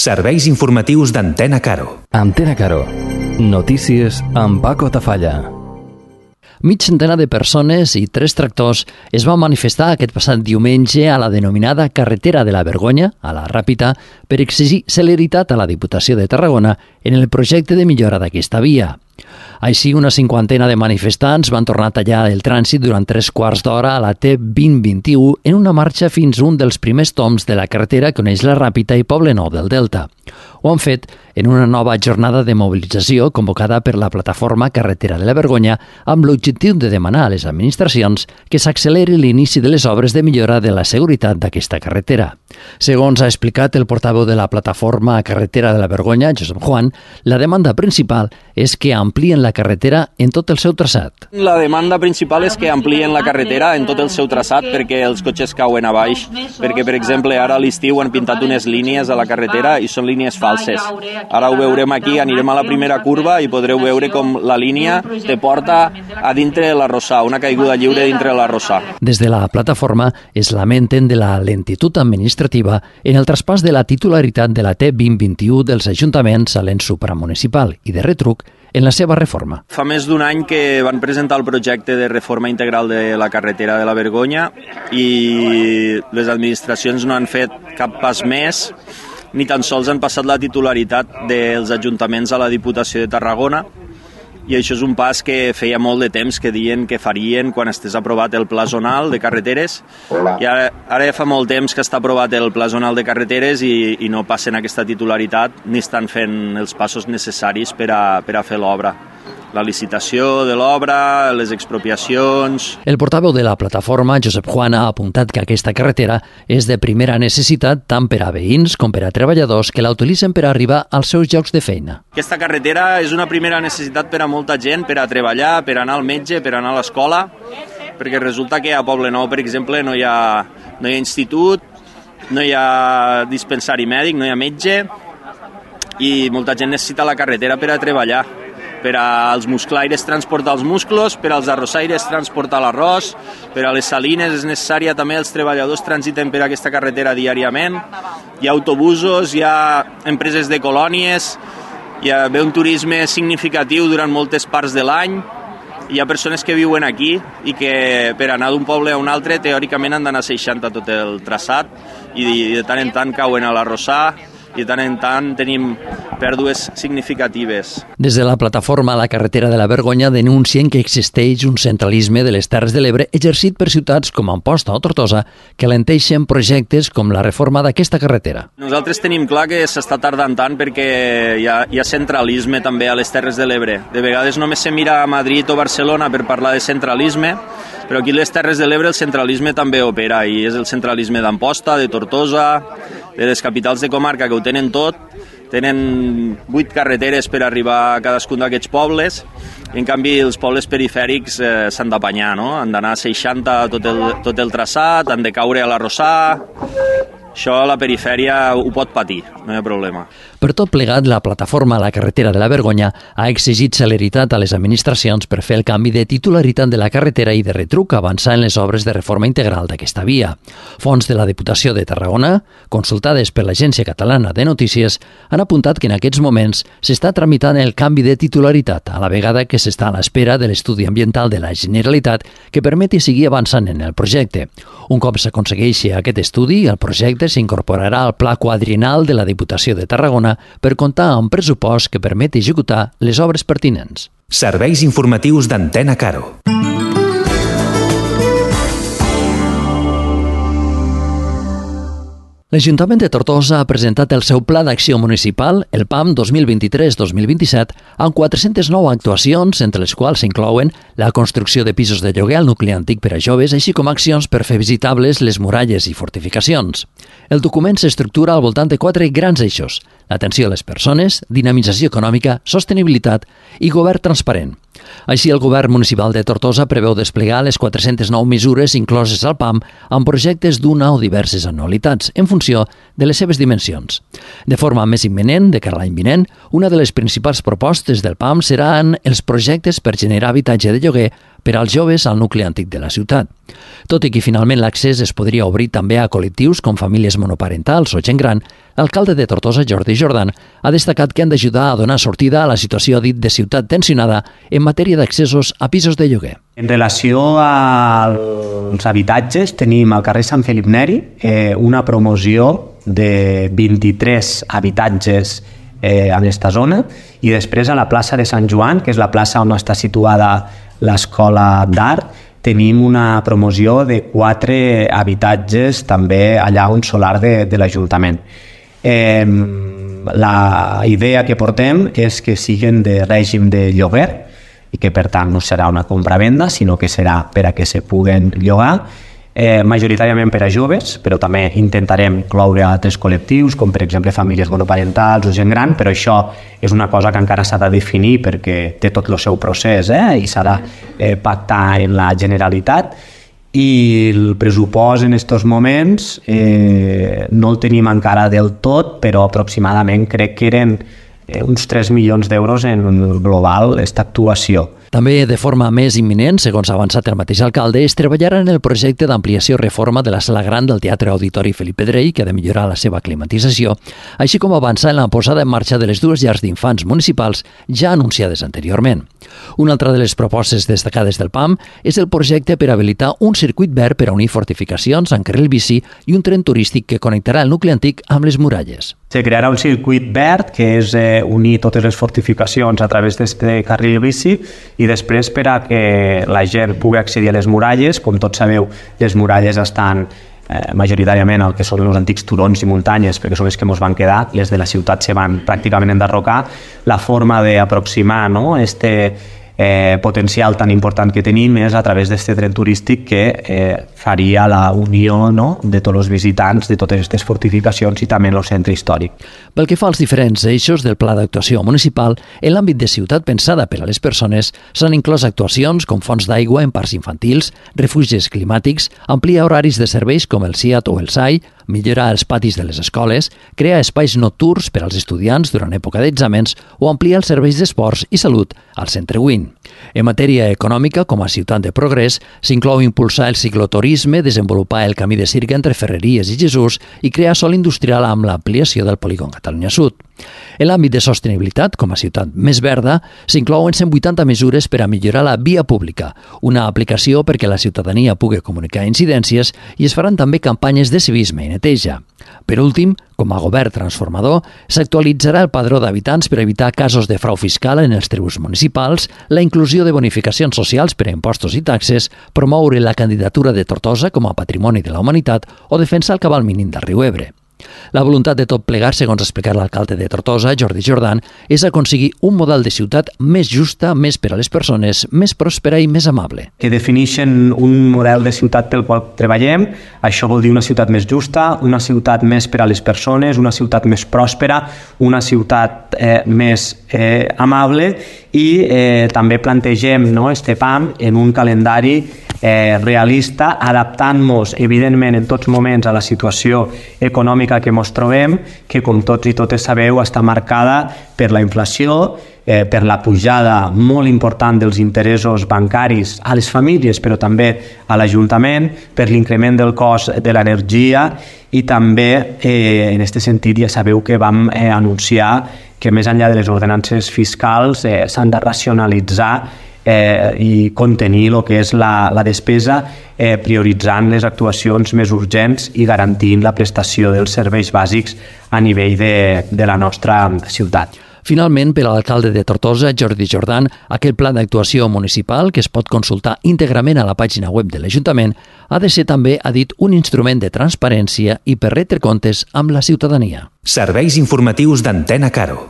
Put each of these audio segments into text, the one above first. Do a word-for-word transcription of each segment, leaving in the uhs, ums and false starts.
Serveis informatius d'Antena Caro. Antena Caro. Notícies amb Paco Tafalla. Mig centenar de persones i tres tractors es van manifestar aquest passat diumenge a la denominada Carretera de la Vergonya, a la Ràpita, per exigir celeritat a la Diputació de Tarragona en el projecte de millora d'aquesta via. Així, una cinquantena de manifestants van tornar a tallar el trànsit durant tres quarts d'hora a la T vint vint-i-u en una marxa fins a un dels primers toms de la carretera que uneix la Ràpita i Poblenou del Delta. Ho han fet en una nova jornada de mobilització convocada per la plataforma Carretera de la Vergonya amb l'objectiu de demanar a les administracions que s'acceleri l'inici de les obres de millora de la seguretat d'aquesta carretera. Segons ha explicat el portaveu de la plataforma Carretera de la Vergonya, Josep Juan, la demanda principal és que amplien la carretera en tot el seu traçat. La demanda principal és que amplien la carretera en tot el seu traçat perquè els cotxes cauen a baix, perquè, per exemple, ara a l'estiu han pintat unes línies a la carretera i són línies falses. Ara ho veurem aquí, anirem a la primera curva i podreu veure com la línia te porta a dintre de l'arrossar, una caiguda lliure dintre de l'arrossar. Des de la plataforma es lamenten de la lentitud administrativa en el traspàs de la titularitat de la T vint vint-i-u dels ajuntaments a l'ens supramunicipal i de retruc en la seva reforma. Fa més d'un any que van presentar el projecte de reforma integral de la carretera de la Vergonya i les administracions no han fet cap pas més, ni tan sols han passat la titularitat dels ajuntaments a la Diputació de Tarragona, i això és un pas que feia molt de temps que diuen que farien quan estés aprovat el pla zonal de carreteres. I ara, ara ja fa molt temps que està aprovat el pla zonal de carreteres i, i no passen aquesta titularitat ni estan fent els passos necessaris per a, per a fer l'obra. La licitació de l'obra, les expropiacions... El portaveu de la plataforma, Josep Juan, ha apuntat que aquesta carretera és de primera necessitat tant per a veïns com per a treballadors que la utilitzen per arribar als seus llocs de feina. Aquesta carretera és una primera necessitat per a molta gent, per a treballar, per a anar al metge, per a anar a l'escola, perquè resulta que a Poblenou, per exemple, no hi ha, no hi ha institut, no hi ha dispensari mèdic, no hi ha metge, i molta gent necessita la carretera per a treballar. Per als musclaires transportar els musclos, per als arrossaires transportar l'arròs, per a les salines és necessària també els treballadors transiten per aquesta carretera diàriament. Hi ha autobusos, hi ha empreses de colònies, hi ha ve un turisme significatiu durant moltes parts de l'any, hi ha persones que viuen aquí i que per anar d'un poble a un altre teòricament han d'anar seixanta tot el traçat i de tant en tant cauen a l'arrossar i de tant en tant tenim pèrdues significatives. Des de la plataforma La Carretera de la Vergonya denuncien que existeix un centralisme de les Terres de l'Ebre exercit per ciutats com Amposta o Tortosa que alenteixen projectes com la reforma d'aquesta carretera. Nosaltres tenim clar que s'està tardant tant perquè hi ha, hi ha centralisme també a les Terres de l'Ebre. De vegades només se mira a Madrid o Barcelona per parlar de centralisme, però aquí a les Terres de l'Ebre el centralisme també opera i és el centralisme d'Amposta, de Tortosa, de les capitals de comarca que ho tenen tot, tenen vuit carreteres per arribar a cadascun d'aquests pobles, i en canvi els pobles perifèrics eh, s'han d'apanyar, no? Han d'anar a seixanta tot el, tot el traçat, han de caure a l'arrossar. Això la perifèria ho pot patir, no hi ha problema. Per tot plegat, la plataforma La Carretera de la Vergonya ha exigit celeritat a les administracions per fer el canvi de titularitat de la carretera i de retruc avançar en les obres de reforma integral d'aquesta via. Fons de la Diputació de Tarragona, consultades per l'Agència Catalana de Notícies, han apuntat que en aquests moments s'està tramitant el canvi de titularitat, a la vegada que s'està a l'espera de l'estudi ambiental de la Generalitat que permeti seguir avançant en el projecte. Un cop s'aconsegueixi aquest estudi, el projecte s'incorporarà al Pla Quadriennal de la Diputació de Tarragona per comptar amb pressupost que permeti executar les obres pertinents. Serveis informatius d'Antena Caro. L'Ajuntament de Tortosa ha presentat el seu Pla d'Acció Municipal, el P A M dos mil vint-i-tres dos mil vint-i-set, amb quatre-centes nou actuacions, entre les quals s'inclouen la construcció de pisos de lloguer al nucli antic per a joves, així com accions per fer visitables les muralles i fortificacions. El document s'estructura al voltant de quatre grans eixos: l'atenció a les persones, dinamització econòmica, sostenibilitat i govern transparent. Així, el govern municipal de Tortosa preveu desplegar les quatre-centes nou mesures incloses al P A M amb projectes d'una o diverses anualitats, en funció de les seves dimensions. De forma més imminent, de cara a l'any vinent, una de les principals propostes del P A M seran els projectes per generar habitatge de lloguer per als joves al nucli antic de la ciutat. Tot i que finalment l'accés es podria obrir també a col·lectius com famílies monoparentals o gent gran, L'alcalde de Tortosa, Jordi Jordan, ha destacat que han d'ajudar a donar sortida a la situació dit de ciutat tensionada en matèria d'accessos a pisos de lloguer. En relació als habitatges, tenim al carrer Sant Felip Neri eh, una promoció de vint-i-tres habitatges eh, en aquesta zona, i després a la plaça de Sant Joan, que és la plaça on està situada l'escola d'art, tenim una promoció de quatre habitatges també allà on solar de, de l'Ajuntament. Eh, la idea que portem és que siguin de règim de lloguer i que per tant no serà una compra-venda, sinó que serà per a que se puguen llogar, eh, majoritàriament per a joves, però també intentarem incloure altres col·lectius, com per exemple famílies monoparentals o gent gran, però això és una cosa que encara s'ha de definir perquè té tot el seu procés eh, i s'ha de eh, pactar en la Generalitat. I el pressupost en aquests moments eh, no el tenim encara del tot, però aproximadament crec que eren eh, uns tres milions d'euros en global aquesta actuació. També de forma més imminent, segons ha avançat el mateix alcalde, es treballarà en el projecte d'ampliació i reforma de la sala gran del Teatre Auditori Felip Pedrell, que ha de millorar la seva climatització, així com avançar en la posada en marxa de les dues llars d'infants municipals ja anunciades anteriorment. Una altra de les propostes destacades del P A M és el projecte per habilitar un circuit verd per a unir fortificacions amb carril bici i un tren turístic que connectarà el nucli antic amb les muralles. Se crearà un circuit verd, que és eh, unir totes les fortificacions a través d'aquest carril bici, i després per a que la gent pugui accedir a les muralles. Com tots sabeu, les muralles estan eh, majoritàriament al que són els antics turons i muntanyes, perquè són les que ens van quedar, les de la ciutat se van pràcticament enderrocar. La forma d'aproximar no, este eh, potencial tan important que tenim és a través d'aquest tren turístic que eh, faria la unió no, de tots els visitants de totes aquestes fortificacions i també el centre històric. Pel que fa als diferents eixos del Pla d'Actuació Municipal, en l'àmbit de ciutat pensada per a les persones s'han inclòs actuacions com fonts d'aigua en parcs infantils, refugis climàtics, ampliar horaris de serveis com el SIAT o el S A I, millorar els patis de les escoles, crear espais nocturns per als estudiants durant època d'exàmens o ampliar els serveis d'esports i salut al Centre Win. En matèria econòmica, com a ciutat de progrés, s'inclou impulsar el cicloturisme, desenvolupar el camí de Sirga entre Ferreries i Jesús i crear sòl industrial amb l'ampliació del polígon Catalunya Sud. En l'àmbit de sostenibilitat, com a ciutat més verda, s'inclouen cent vuitanta mesures per a millorar la via pública, una aplicació perquè la ciutadania pugui comunicar incidències i es faran també campanyes de civisme i neteja. Per últim, com a govern transformador, s'actualitzarà el padró d'habitants per evitar casos de frau fiscal en els tributs municipals, la inclusió de bonificacions socials per a impostos i taxes, promoure la candidatura de Tortosa com a patrimoni de la humanitat o defensar el cabal mínim del riu Ebre. La voluntat de tot plegar, segons ha explicat l'alcalde de Tortosa, Jordi Jordan, és aconseguir un model de ciutat més justa, més per a les persones, més pròspera i més amable. Que defineixen un model de ciutat pel qual treballem. Això vol dir una ciutat més justa, una ciutat més per a les persones, una ciutat més pròspera, una ciutat eh, més eh, amable, i eh, també plantegem no, este P A M en un calendari eh, realista, adaptant-nos evidentment en tots moments a la situació econòmica que ens trobem, que com tots i totes sabeu està marcada per la inflació, eh, per la pujada molt important dels interessos bancaris a les famílies, però també a l'Ajuntament, per l'increment del cost de l'energia, i també eh, en aquest sentit ja sabeu que vam eh, anunciar que més enllà de les ordenances fiscals eh, s'han de racionalitzar eh, i contenir el que és la, la despesa, eh, prioritzant les actuacions més urgents i garantint la prestació dels serveis bàsics a nivell de, de la nostra ciutat. Finalment, per a l'alcalde de Tortosa, Jordi Jordan, aquest pla d'actuació municipal, que es pot consultar íntegrament a la pàgina web de l'Ajuntament, ha de ser també, ha dit, un instrument de transparència i per retre comptes amb la ciutadania. Serveis informatius d'Antena Caro.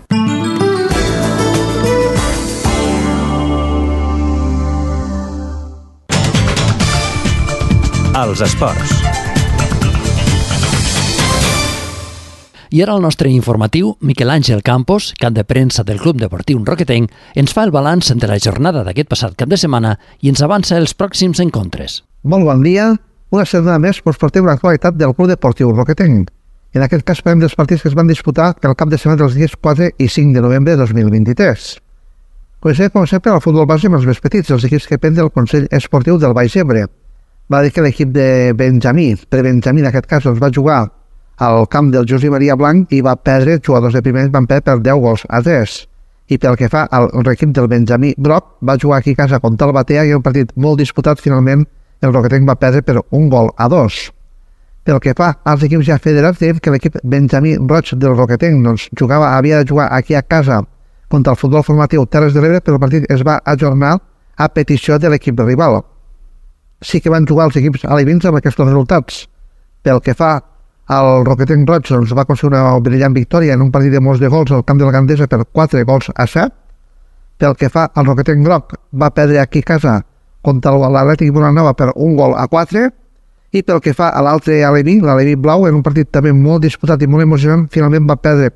Els esports. I ara el nostre informatiu, Miquel Àngel Campos, cap de premsa del Club Deportiu Roquetenc, ens fa el balanç de la jornada d'aquest passat cap de setmana i ens avança els pròxims encontres. Molt bon dia. Una setmana més us portem l'actualitat del Club Deportiu Roquetenc. En aquest cas parlem dels partits que es van disputar pel cap de setmana dels dies quatre i cinc de novembre de dos mil vint-i-tres. Comencem, com sempre, al futbol base amb els més petits, els equips que depèn del Consell Esportiu del Baix Ebre. Va dir que l'equip de Benjamí, per Benjamí en aquest cas, els va jugar al camp del José Maria Blanc i va perdre, els jugadors de primer van perdre per deu gols a tres. I pel que fa al equip del Benjamí Broc, va jugar aquí a casa contra el Batea i un partit molt disputat, finalment el Roquetenc va perdre per un gol a dos. Pel que fa als equips ja federats, dèiem que l'equip Benjamí Roig del Roquetenc doncs, jugava, havia de jugar aquí a casa contra el futbol formatiu Terres de l'Ebre, però el partit es va ajornar a petició de l'equip rival. Sí que van jugar els equips alevins amb aquests resultats. Pel que fa al Roquetenc Roig, doncs, va aconseguir una brillant victòria en un partit de molts de gols al camp de la Gandesa per quatre gols a set. Pel que fa al Roquetenc Groc, va perdre aquí a casa contra l'Atlètic Bonanova per un gol a quatre. I pel que fa a l'altre aleví, l'aleví blau, en un partit també molt disputat i molt emocionant, finalment va perdre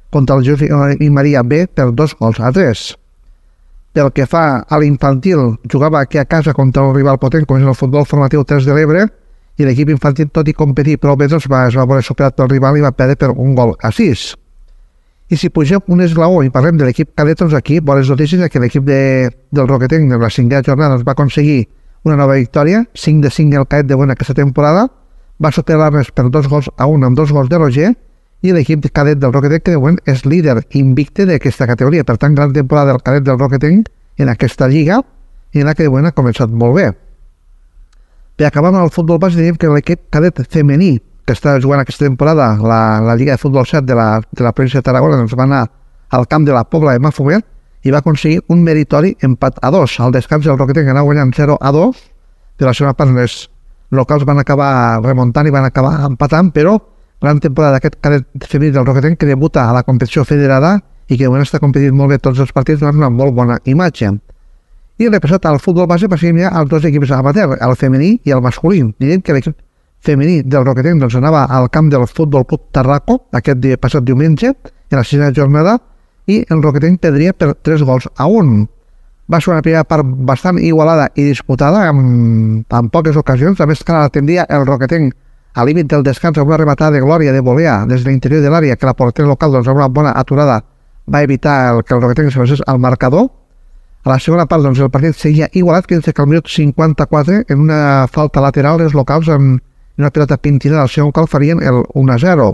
contra el José i Maria B per dos gols a tres. Pel que fa a l'infantil, jugava aquí a casa contra un rival potent, com és el futbol formatiu Terres de l'Ebre, i l'equip infantil, tot i competir prou bé, doncs va, es va veure superat pel rival i va perdre per un gol a sis. I si pugem un esglaó i parlem de l'equip cadet, doncs aquí, bones notícies, que l'equip de, del Roquetenc en la cinquena jornada doncs, va aconseguir una nova victòria, cinc de cinc el cadet de bona aquesta temporada, va superar-les per dos gols a un amb dos gols de Roger, i l'equip cadet del Roquetenc, que de moment és líder invicte d'aquesta categoria. Per tant, gran temporada del cadet del Roquetenc en aquesta lliga, i en la que de moment ha començat molt bé. Per acabar amb el futbol base, diríem que l'equip cadet femení que està jugant aquesta temporada la, la Lliga de Futbol set de la, de la província de Tarragona doncs va anar al camp de la Pobla de Mafumet i va aconseguir un meritori empat a dos. Al descans el Roquetenc anava guanyant zero a dos, de la segona part les locals van acabar remuntant i van acabar empatant, però gran temporada d'aquest cadet femení del Roquetenc, que debuta a la competició federada i que de moment està competint molt bé tots els partits, donant una molt bona imatge. I repassat al futbol base passem ja als dos equips amateur, el femení i el masculí. Direm que l'equip femení del Roquetenc doncs, anava al camp del Futbol Club Tarraco aquest dia, passat diumenge, en la sisena jornada, i el Roquetenc perdria per tres gols a un. Va ser una primera part bastant igualada i disputada, amb, amb poques ocasions. A més, que la tendria el Roquetenc a límit del descans amb una rematada de glòria de volea des de l'interior de l'àrea, que la portera local, doncs, amb una bona aturada, va evitar el que el Roquetenc se passés al marcador. A la segona part, doncs, el partit seguia igualat, fins que al minut cinquanta-quatre, en una falta lateral, els locals, en una pilota pintinada al segon gol, farien el un a zero.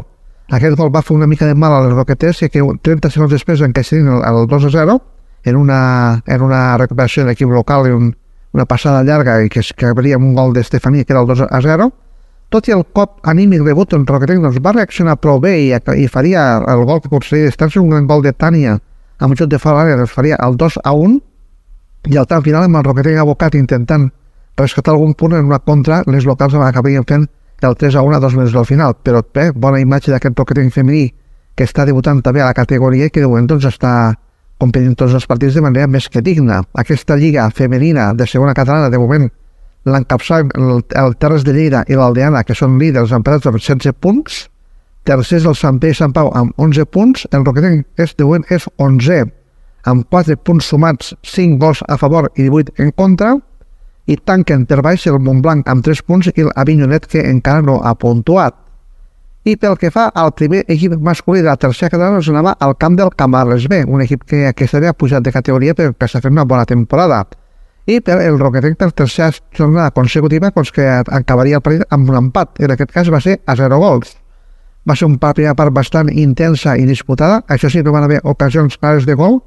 Aquest gol va fer una mica de mal als roqueters, i que trenta segons després encaixarien el, el dos a zero, en una, en una recuperació de l'equip local i un, una passada llarga, i que es acabaria amb un gol d'Estefania, que era el dos a zero. Tot i el cop anímic rebut, el Roquetenc doncs, va reaccionar prou bé i, i faria el gol que aconseguiria distància, un gran gol de Tània, amb un xut de fora l'àrea, doncs faria el dos a un, i al tant final amb el Roquetenc abocat intentant rescatar algun punt en una contra, les locals acabarien fent el tres a un a dos mesos al final. Però bé, bona imatge d'aquest Roquetenc femení que està debutant també a la categoria i que de moment doncs, està competint tots els partits de manera més que digna. Aquesta lliga femenina de segona catalana, de moment l'encapçalen el, el Terres de Lleida i l'Aldeana, que són líders emparats amb setze punts, tercers el Sant Pere i Sant Pau amb onze punts, el Roquetenc és, de moment és onzè, amb quatre punts sumats, cinc gols a favor i divuit en contra, i tanquen per baix el Montblanc amb tres punts i l'Avinyonet, que encara no ha puntuat. I pel que fa al primer equip masculí de la tercera catalana, ens anava al camp del Camarles B, un equip que aquesta havia pujat de categoria perquè està fent una bona temporada. I per el Roquetenc, per tercera jornada consecutiva, doncs que acabaria el partit amb un empat. En aquest cas va ser a zero gols. Va ser una primera part bastant intensa i disputada, això sí, no van haver ocasions clares de gol.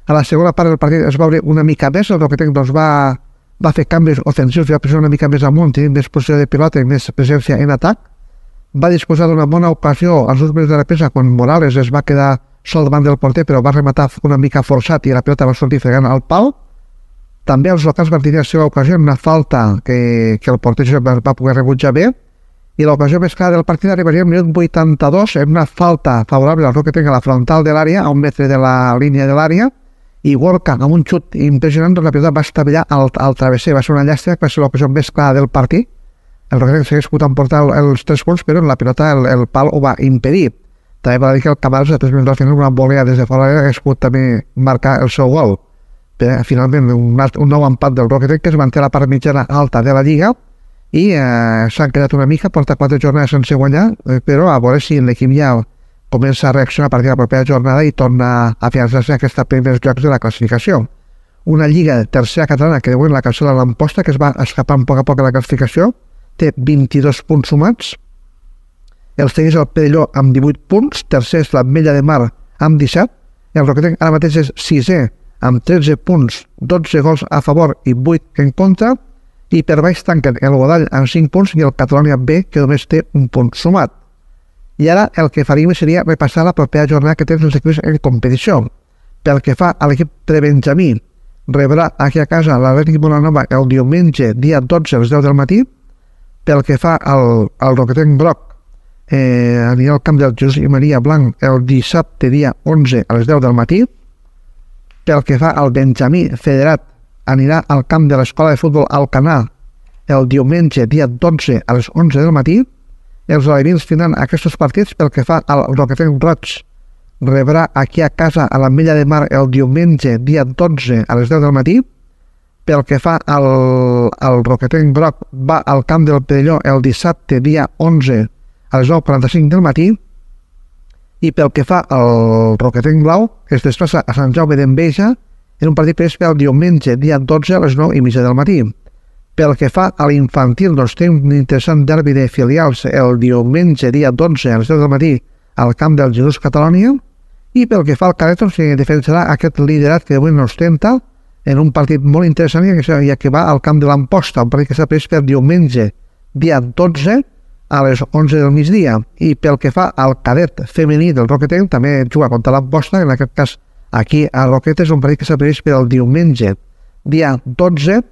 A la segona part del partit es va obrir una mica més, el Roquetenc doncs, va, va fer canvis ofensius, va pressionar una mica més amunt, tenint més posició de pilota i més presència en atac. Va disposar d'una bona ocasió als dos minuts de la presa, quan Morales es va quedar sol davant del porter, però va rematar una mica forçat i la pilota va sortir fregant al pal. També els locals van tenir la seva ocasió en una falta que, que el porter va, va poder rebutjar bé, i l'ocasió més clara del partit arribaria al minut vuitanta-dos en una falta favorable al Roquetenc a la frontal de l'àrea, a un metre de la línia de l'àrea, i Gorka, amb un xut impressionant, doncs la pilota va estavellar al, al travesser. Va ser una llàstima, que va ser l'ocasió més clara del partit. El Roquetenc s'hagués pogut emportar els tres punts, però en la pilota el, el pal ho va impedir. També va dir que el Camarles, a tres minuts al final, una volea des de fora hagués pogut també marcar el seu gol. Però, finalment, un, un nou empat del Roquetenc, que es manté a la part mitjana alta de la Lliga, i eh, s'han quedat una mica, porta quatre jornades sense guanyar, eh, però a veure si l'equip ja comença a reaccionar a partir de la propera jornada i torna a afiançar-se a aquests primers llocs de la classificació. Una lliga tercera catalana que de moment la cancel·la l'Amposta, que es va escapant a poc a poc a la classificació, té vint-i-dos punts sumats, el segueix el Perelló amb divuit punts, tercer és l'Ametlla de Mar amb disset, el Roquetenc ara mateix és sisè amb tretze punts, dotze gols a favor i vuit en contra, i per baix tanquen el Godall amb cinc punts i el Catalonia B, que només té un punt sumat. I ara el que faríem seria repassar la propera jornada que tenen els equips en competició. Pel que fa a l'equip prebenjamí, rebrà aquí a casa l'Atlètic Bonanova el diumenge, dia dotze a les deu del matí. Pel que fa al, al Roquetenc Groc, eh, anirà al camp del Josep Maria Blanc el dissabte, dia onze a les deu del matí. Pel que fa al Benjamí Federat, anirà al camp de l'Escola de Futbol Alcanar el diumenge, dia dotze a les onze del matí. Els alevins tindran aquests partits. Pel que fa al Roquetenc Roig, rebrà aquí a casa a l'Ametlla de Mar el diumenge, dia dotze a les deu del matí. Pel que fa al, al Roquetenc Groc, va al camp del Perelló el dissabte, dia onze a les nou quaranta-cinc del matí. I pel que fa al Roquetenc Blau, es desplaça a Sant Jaume d'Enveja en un partit previst pel diumenge, dia dotze a les nou i mitja del matí. Pel que fa a l'infantil, doncs té un interessant derbi de filials el diumenge, dia dotze a les deu del matí al camp del Jesús Catalonia. I pel que fa al cadet, doncs, se defensarà aquest liderat que avui no ostenta en un partit molt interessant, ja que va al camp de l'Amposta, un partit que s'ha previst per diumenge, dia dotze a les onze del migdia. I pel que fa al cadet femení del Roquetenc, també juga contra l'Amposta, en aquest cas aquí a Roquetes, un partit que s'ha previst per el diumenge, dia dotze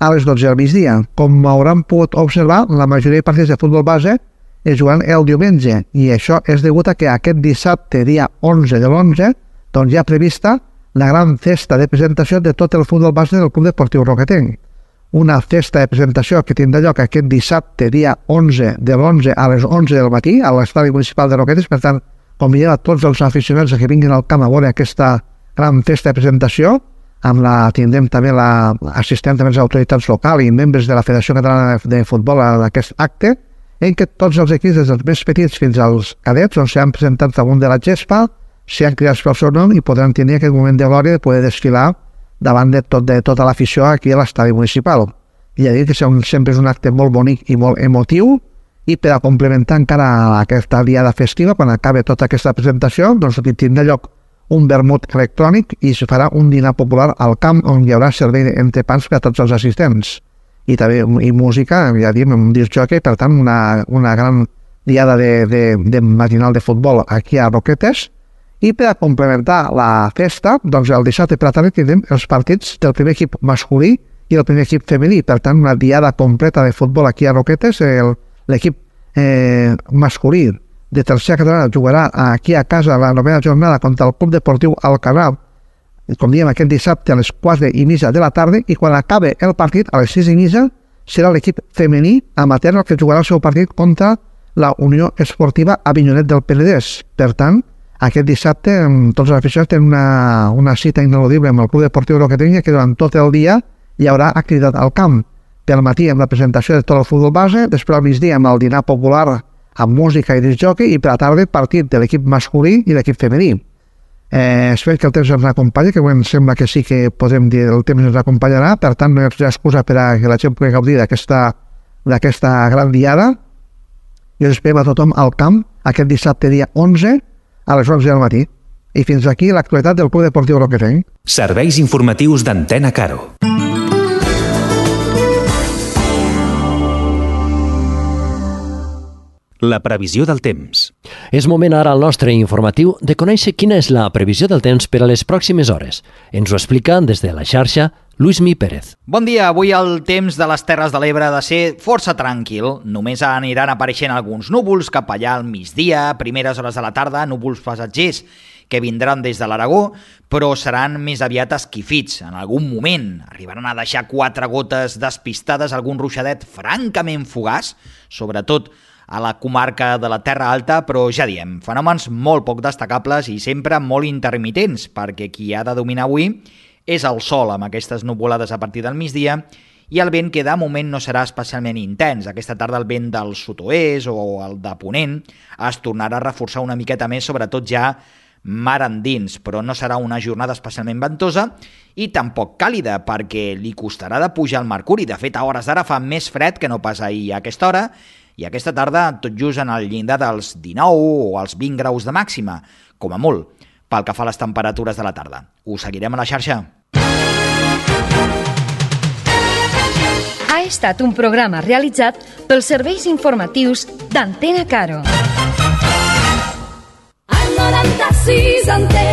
a les dotze del migdia. Com hauran pogut observar, la majoria de partits de futbol base es juguen el diumenge, i això és degut a que aquest dissabte, dia onze de l'onze, doncs ja ha prevista la gran festa de presentació de tot el futbol base del Club Deportiu Roquetenc. Una festa de presentació que tindrà lloc aquest dissabte, dia onze de l'onze a les onze del matí, a l'estadi municipal de Roquetes. Per tant, convidem a tots els aficionats que vinguin al camp a veure aquesta gran festa de presentació. Amb la, tindrem també l'assistent de les autoritats locals i membres de la Federació Catalana de Futbol a aquest acte, en què tots els equips, des dels més petits fins als cadets, on s'han presentat damunt de la gespa, s'han cridat pel seu nom i podran tenir aquest moment de glòria de poder desfilar davant de, tot, de tota l'afició aquí a l'estadi municipal. I ja dic que sempre és un acte molt bonic i molt emotiu, i per a complementar encara aquesta diada festiva, quan acabi tota aquesta presentació, doncs tindrà lloc un vermut electrònic i es farà un dinar popular al camp on hi haurà servei d'entrepans per a tots els assistents. I també i música, ja diem, un disc jockey, per tant, una, una gran diada de, de, de matinal de futbol aquí a Roquetes. I per a complementar la festa, doncs el dissabte per la tarda tindrem els partits del primer equip masculí i el primer equip femení. Per tant, una diada completa de futbol aquí a Roquetes. L'equip eh, masculí de tercera catalana jugarà aquí a casa la novena jornada contra el Club Deportiu Alcanar, com diem, aquest dissabte a les quatre i mitja de la tarda, i quan acabe el partit, a les sis i mitja, serà l'equip femení amateur el que jugarà el seu partit contra la Unió Esportiva Avinyonet del Penedès. Per tant, aquest dissabte tots els aficionats tenen una, una cita ineludible amb el Club Deportiu Roquetenc, que durant tot el dia hi haurà activitat al camp. Pel matí amb la presentació de tot el futbol base, després al migdia amb el dinar popular amb música i disc jockey, i per la tarda partit de l'equip masculí i l'equip femení. Eh, espero que el temps ens acompanyi, que em sembla que sí que podem dir el temps ens acompanyarà, per tant no hi ha excusa per a que la gent pugui gaudir d'aquesta gran diada, i us esperem a tothom al camp aquest dissabte dia onze a les onze del matí. I fins aquí l'actualitat del Club Deportiu Roquetenc. Serveis informatius d'Antena Caro. La previsió del temps. És moment ara al nostre informatiu de conèixer quina és la previsió del temps per a les pròximes hores. Ens ho explica des de la xarxa Luismi Pérez. Bon dia, avui el temps de les Terres de l'Ebre ha de ser força tranquil. Només aniran apareixent alguns núvols cap allà al migdia, primeres hores de la tarda, núvols passatgers que vindran des de l'Aragó, però seran més aviat esquifits. En algun moment arribaran a deixar quatre gotes despistades, algun ruixadet francament fugaç, sobretot a la comarca de la Terra Alta, però ja diem, fenòmens molt poc destacables i sempre molt intermitents, perquè qui ha de dominar avui és el sol amb aquestes nuvolades a partir del migdia i el vent que de moment no serà especialment intens. Aquesta tarda el vent del sud-oest o el de ponent es tornarà a reforçar una miqueta més, sobretot ja mar endins, però no serà una jornada especialment ventosa i tampoc càlida, perquè li costarà de pujar el mercuri. De fet, a hores d'ara fa més fred que no pas ahir a aquesta hora, i aquesta tarda tot just en el llindar dels dinou o els vint graus de màxima, com a molt, pel que fa a les temperatures de la tarda. Us seguirem a la xarxa. Ha estat un programa realitzat pels serveis informatius d'Antena Caro. Al noranta-sis Antena